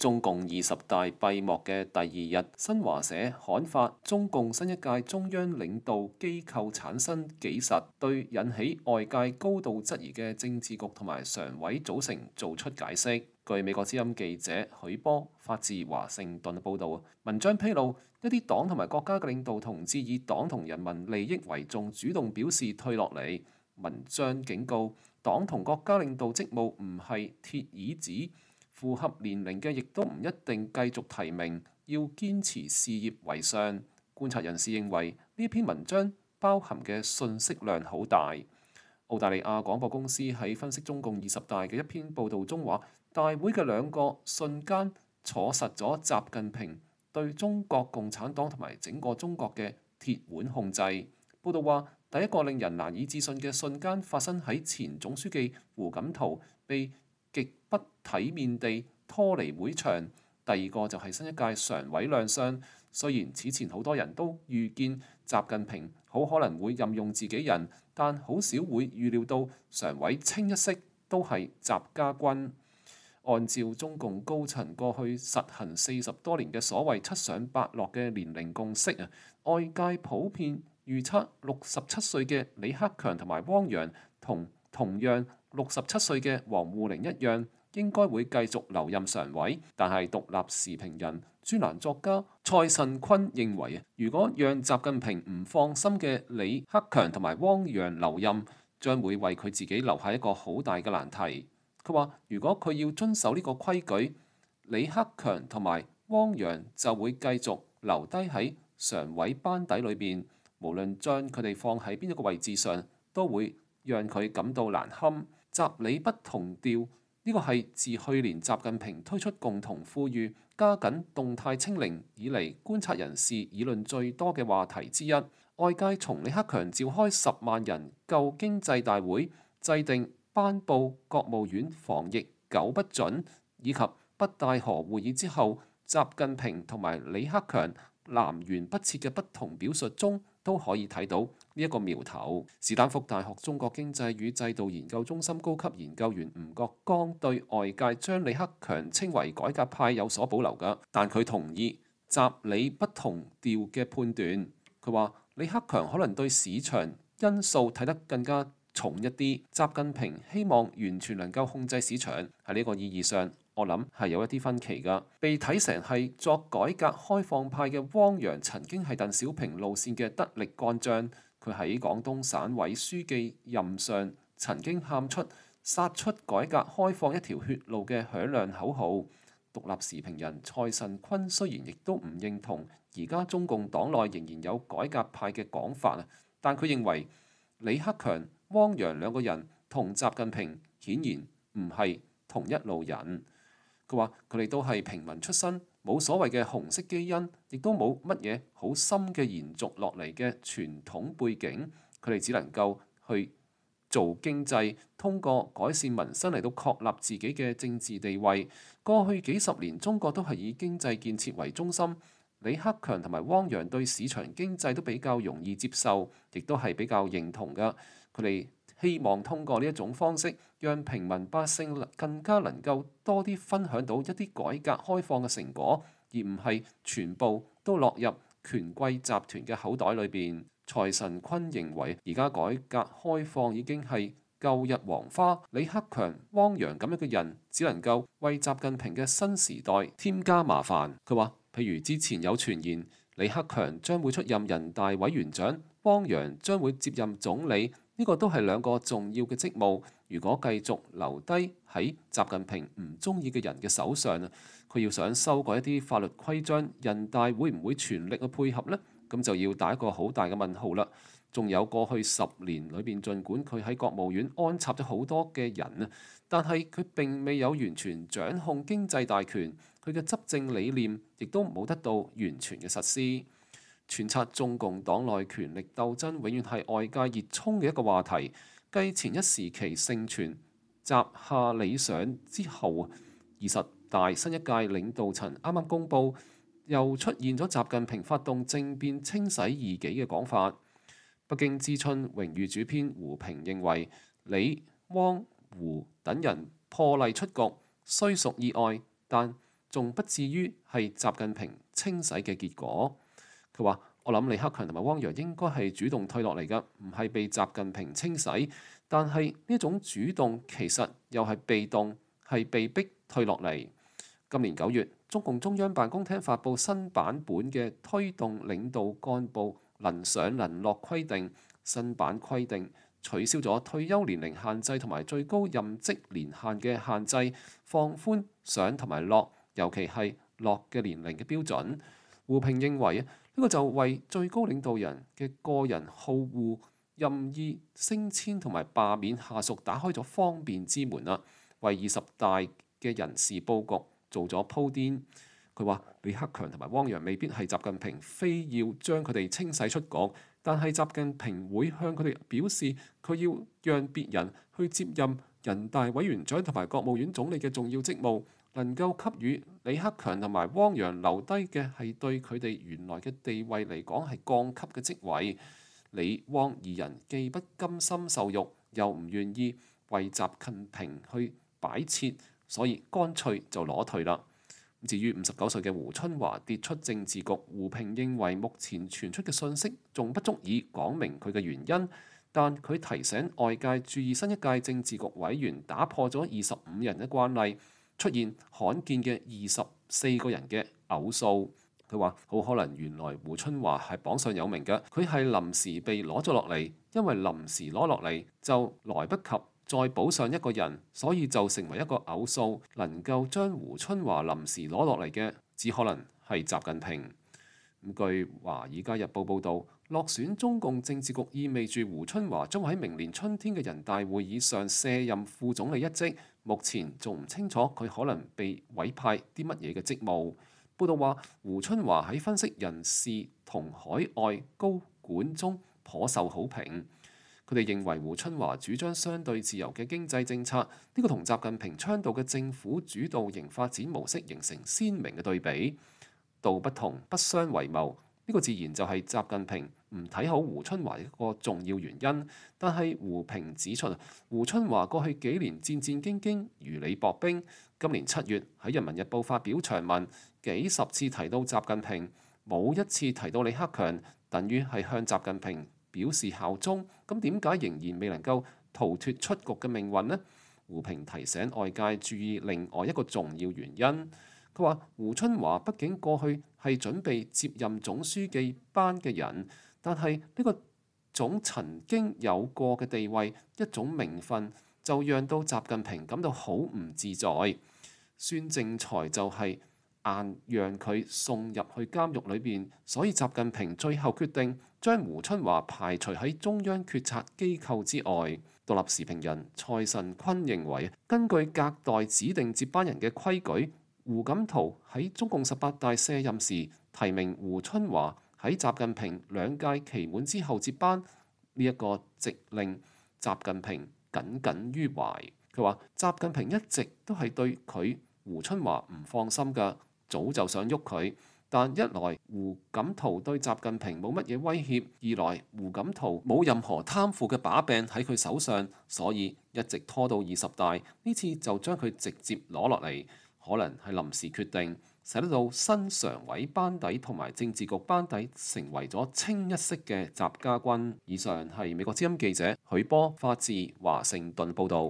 中共20大閉幕嘅第二日，新華社刊發中共新一屆中央領導機構產生紀實，對引起外界高度質疑嘅政治局同埋常委組成做出解釋。據美國之音記者許波發自華盛頓嘅報導，文章披露一啲黨同埋國家嘅領導同志以黨同人民利益為重，主動表示退落嚟。文章警告，黨同國家領導職務唔係鐵椅子，符合年齡嘅亦都唔一定繼續提名，要堅持事業為上。觀察人士認為呢篇文章包含嘅信息量好大。澳大利亞廣播公司喺分析中共20大嘅一篇報導中話，大會嘅兩個瞬間坐實咗習近平對中國共產黨同埋整個中國嘅鐵腕控制。報導話，第一個令人難以置信嘅瞬間發生喺前總書記胡錦濤被極不體面地拖離會場，第二個就係新一屆常委亮相。雖然此前好多人都預見習近平好可能會任用自己人，但好少會預料到常委清一色都係習家軍。按照中共高層過去實行40多年嘅所謂七上八落嘅年齡共識啊，外界普遍預測67歲嘅李克強同埋汪洋同樣67歲嘅王滬寧一樣，應該會繼續留任常委。但係獨立時評人、專欄作家蔡慎坤認為啊，如果讓習近平唔放心嘅李克強同埋汪洋留任，將會為佢自己留下一個好大嘅難題。佢話：如果佢要遵守呢個規矩，李克強同埋汪洋就會繼續留低喺常委班底裏邊，無論將佢哋放喺邊一個位置上，都會讓佢感到難堪。習李不同調，呢個係自去年習近平推出共同富裕、加緊動態清零以嚟，觀察人士議論最多嘅話題之一。外界從李克強召開10萬人救經濟大會、制定頒布國務院防疫9不準以及北戴河會議之後，習近平同埋李克強南轅北轍嘅不同表述中，都可以睇到呢一個苗頭。史丹福大學中國經濟與制度研究中心高級研究員吳國剛對外界將李克強稱為改革派有所保留㗎，但佢同意習李不同調嘅判斷。佢話李克強可能對市場因素睇得更加重一啲，習近平希望完全能夠控制市場，喺呢個意義上，我諗係有一啲分歧㗎。被睇成係作改革開放派嘅汪洋，曾經係鄧小平路線嘅得力幹將。佢喺廣東省委書記任上曾經喊出殺出改革開放一條血路嘅響亮口號。獨立時評人蔡慎坤雖然亦都唔認同而家中共黨內仍然有改革派嘅講法啊，但佢認為李克強、汪洋兩個人同習近平顯然唔係同一路人。佢話佢哋都係平民出身，冇所謂嘅紅色基因，亦都冇乜嘢好深嘅延續落嚟嘅傳統背景。佢哋只能夠去做經濟，通過改善民生嚟到確立自己嘅政治地位。過去幾十年，中國都係以經濟建設為中心。李克強同埋汪洋對市場經濟都比較容易接受，亦都係比較認同㗎。佢哋希望通過呢一種方式，讓平民百姓更加能夠多啲分享到一啲改革開放嘅成果，而唔係全部都落入權貴集團嘅口袋裏邊。蔡慎坤認為，而家改革開放已經係舊日黃花，李克強、汪洋咁樣嘅人，只能夠為習近平嘅新時代添加麻煩。佢話，譬如之前有傳言，李克強將會出任人大委員長，汪洋將會接任總理，呢個都係兩個重要嘅職務。如果繼續留低喺習近平唔中意嘅人嘅手上，佢要想修改一啲法律規章，人大會唔會全力去配合呢？咁就要打一個好大嘅問號啦。仲有過去10年裏邊，儘管佢喺國務院安插咗好多嘅人啊，但係佢並未有完全掌控經濟大權，佢嘅執政理念亦都冇得到完全嘅實施。揣測中共黨內權力鬥爭永遠係外界熱衷嘅一個話題。繼前一時期盛傳習夏李上之後，20大新一屆領導層啱啱公佈，又出現咗習近平發動政變清洗異己嘅講法。北京之春榮譽主編胡平認為，李、汪、胡等人破例出局，雖屬意外，但仲不至於係習近平清洗嘅結果。佢話：我諗李克強同埋汪洋應該係主動退落嚟㗎，唔係被習近平清洗。但係呢種主動其實又係被動，係被逼退落嚟。今年9月，中共中央辦公廳發布新版本嘅推動領導幹部能上能落規定，新版規定取消咗退休年齡限制同埋最高任職年限嘅限制，放寬上同埋落，尤其係落嘅年齡嘅標準。胡平認為呢個就為最高領導人嘅個人好惡、任意升遷同埋罷免下屬打開咗方便之門啦，為20大嘅人事佈局做咗鋪墊。佢話李克強同埋汪洋未必係習近平非要將佢哋清洗出局，但係習近平會向佢哋表示佢要讓別人去接任人大委員長同埋國務院總理嘅重要職務，能夠給予李克強同埋汪洋留低嘅係對佢哋原來嘅地位嚟講係降級嘅職位。李汪二人既不甘心受辱，又唔願意為習近平去擺設，所以乾脆就攞退啦。至於59歲嘅胡春華跌出政治局，胡平認為目前傳出嘅信息仲不足以講明佢嘅原因，但佢提醒外界注意新一屆政治局委員打破咗25人嘅慣例，出現罕見嘅24個人嘅偶數。佢話好可能原來胡春華係榜上有名嘅，佢係臨時被攞咗落嚟，因為臨時攞落嚟就來不及再補上一個人，所以就成為一個偶數。能夠將胡春華臨時攞落嚟嘅，只可能係習近平。據《華爾街日報》報導，落選中共政治局意味住胡春華將喺明年春天嘅人大會議上卸任副總理一職。目前仲唔清楚佢可能被委派啲乜嘢嘅職務。報導話，胡春華喺分析人事同海外高管中頗受好評。佢哋認為胡春華主張相對自由嘅經濟政策，呢個同習近平倡導嘅政府主導型發展模式形成鮮明嘅對比。道不同不相為謀，呢個自然就係習近平唔睇好胡春華一個重要原因。但係胡平指出，胡春華過去幾年戰戰兢兢，如履薄冰。今年7月喺《人民日報》發表長文，幾十次提到習近平，冇一次提到李克強，等於係向習近平表示效忠。咁點解仍然未能夠逃脫出局嘅命運呢？胡平提醒外界注意另外一個重要原因。佢話胡春華畢竟過去係準備接任總書記班嘅人，但係呢個種曾經有過嘅地位，一種名分，就讓到習近平感到好唔自在。孫政才就係硬讓佢送入去監獄裏邊，所以習近平最後決定將胡春華排除喺中央決策機構之外。獨立時評人蔡慎坤認為，根據隔代指定接班人嘅規矩，胡錦濤喺中共18大卸任時提名胡春華喺習近平2屆期滿之後接班，呢一個直令習近平耿耿於懷。佢話習近平一直都係對佢胡春華唔放心㗎，早就想喐佢，但一來胡錦濤對習近平冇乜嘢威脅，二來胡錦濤冇任何貪腐嘅把柄喺佢手上，所以一直拖到20大，呢次就將佢直接攞落嚟，可能係臨時決定，使得到新常委班底同埋政治局班底成為咗清一色嘅習家軍。以上係美國之音記者許波發自華盛頓報導。